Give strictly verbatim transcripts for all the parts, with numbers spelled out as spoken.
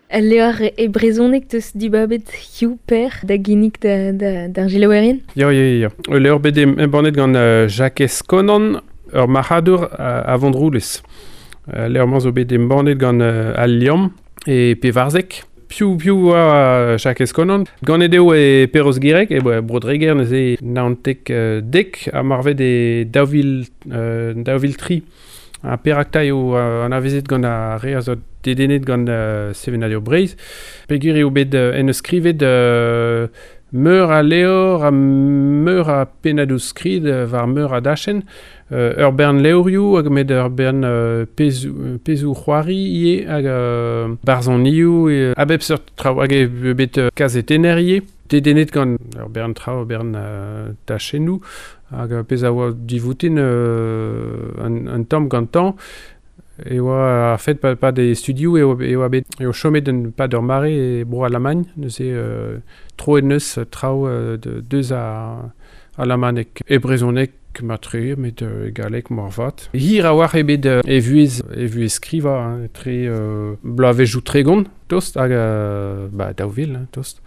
Al levr e brezhoneg teus dibabet hiziv Per da ginnig da, da, d'ar selaouerien? Ya, ya, ya. Ul levr bet embannet gant uh, Jakez Konan, ur marc'hadour uh, a Vontroulez. Uh, levr-mañ zo bet embannet gant uh, Al Liamm e Pevarzek. Piv piv oa Jakez Konan. Ganet eo e Perroz-Gireg, e Bro-Dreger neuze naontek uh, dek, ha marvet e daou vil, uh, daou vil tri. Ha perak 'ta eo uh, anavezet gant ar re a zo dedennet gant uh, sevenadur Breizh. Peogwir eo bet uh, en eus skrivet uh, meur a levr ha meur a pennadoù skrid uh, war meur a dachenn. Uh, ur bern levrioù hag met ur bern uh, pezhioù, pezhioù c'hoari ivez hag uh, barzhonioù e, a bep seurt traoù hag eo bet uh, kazetenner ivez. Dedennet gant ur bern traoù, ur bern uh, tachennoù hag uh, pezh a oa divoutin uh, un, un tamm gantañ e oa ar fet pa, pa de studioù eo, e oa bet eo chomet un pad ur mare e bro Alamagn neuze uh, troet neus traoù uh, de, deus a alamaneg e brezhoneg matre met uh, e galleg moarvat. Hir a oar eo bet uh, e vuhez e vuhez skrivañ hein, etre uh, bloavezhioù tregont tost hag uh, ba, daou vil hein, tost.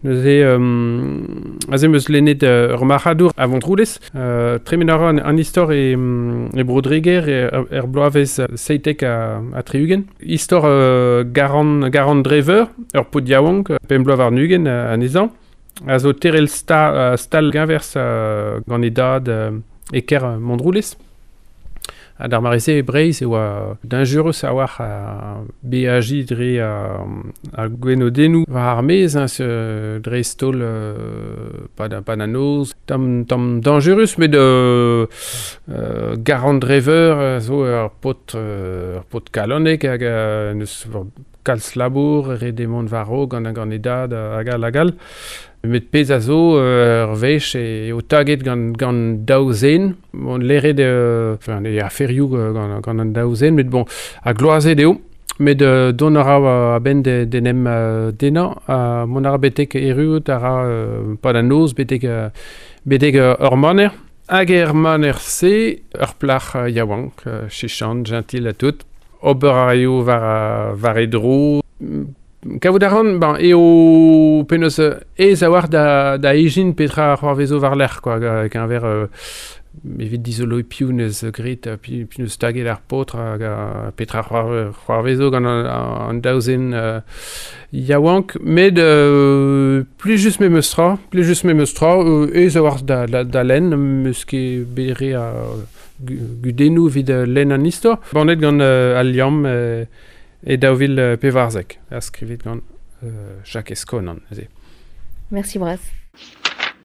Neuze um, aze 'm eus lennet uh, ur marc'hadour a Vontroulez. Uh, tremen a ra an, an istor e, e Bro-Dreger e, er bloavezh seitek ha, ha tri-ugent. Istor uh, Garan, Garan Dreveur, ur paotr yaouank, pemp bloaz warn-ugent uh, anezhañ, a zo terel sta, uh, stal geñvers uh, gant e dad uh, e kêr Montroulez. Ha d'ar mare-se e Breizh e oa dañjerus a-walc'h a beajiñ dre ar gwenodennoù war ar maez, hein, dre stol euh, pa da, pa da noz. Tamm, tamm dañjerus, met euh, euh, Garan Dreveur zo ur paotr, ur paotr kalonek hag euh, neus kalz labour, ret eo mont war-raok gant gant e dad hag all hag all. Met pezh a zo ur wech eo taget gant, gant daou zen. Bon, leret euh, enfin, e aferioù gant, gant an daou zen, met bon, ha gloazet eo. Met euh, dont a ra a-benn de, d'en em euh, denañ, ha mont a ra betek erruout a ra euh, pa da noz betek, euh, betek euh, ur maner. Hag er maner-se, ur plac'h euh, yaouank, euh, chichant, gentil ha tout. Ober a raio war, war e dro. Kavout a ran, ben, eo penaos aes a-walc'h da, da ijin petra c'hoarvezo war-lerc'h, quoi, keñver euh, evit dizoloiñ piv neus graet, piv, piv neus taget ar paotr hag petra c'hoarvezo gant an, an daou zen euh, yaouank. Met euh, plijus memes tra, plijus memes tra, euh, aes a-walc'h da, da, da lenn, m'eus ket bet re a gudennoù evit lenn an istor. Bannet gant euh, Al Liamm euh, e daou vil pevarzek, ha skrivet gant euh, Jakez Konan. Merci bras.